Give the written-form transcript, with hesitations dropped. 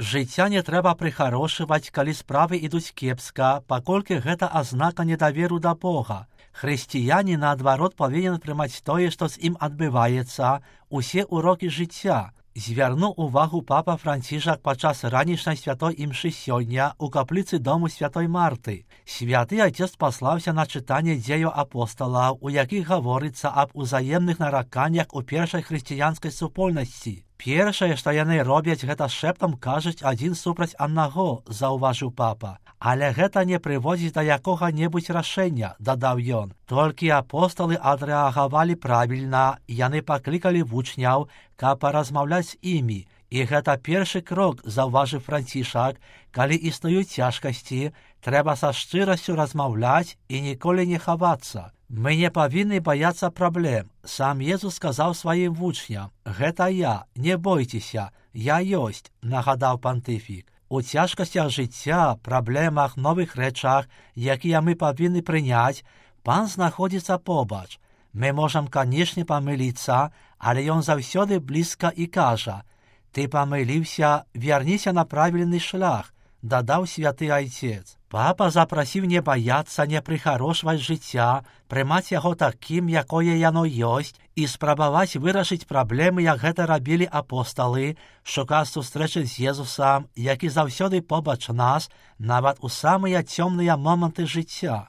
Жыцця не трэба прыхарошваць, калі справы ідуць кепска, паколькі гэта азнака недаверу да Бога. Хрысціянін, наадварот, павінен прымаць тое, што з ім адбываецца, усе ўрокі жыцця. Звярнуў увагу папа Францішак падчас ранішняй святой імшы сёння ў капліцы дому святой Марты. Святы Айцец паслаўся на чытанне дзеяў апосталаў, у якіх гаворыцца аб узаемных нараканнях у першай хрысціянскай супольнасці. Першае, што яны робяць, гэта шэптам кажуць адзін супраць аднаго, заўважыў папа. Але гэта не прыводзіць да якога-небудзь рашэння, дадаў ён. Толькі апосталы адрэагавалі правільна, яны паклікалі вучняў, каб паразмаўляць з імі. І гэта першы крок, заўважыў Францішак, калі існуюць цяжкасці, трэба са шчырасцю размаўляць і ніколі не хавацца. Мы не павінны баяцца праблем. Сам Езус сказаў сваім вучням: «Гэта я, не бойцеся, я ёсць», нагадаў пантыфік. У цяжкасцях жыцця, праблемах, новых рэчах, якія мы павінны прыняць, Пан знаходзіцца побач. Мы можам, канешне, памыліцца, але ён заўсёды блізка і кажа: «Ты памыліўся, вярніся на правільны шлях», дадаў святы Айцец. Папа запрасіў не баяцца, не прыхарошваць жыцця, прымаць яго такім, якое яно ёсць, і спрабаваць вырашыць праблемы, як гэта рабілі апосталы, шукаць сустрэчы з Езусам, які заўсёды побач нас, нават у самыя цёмныя моманты жыцця.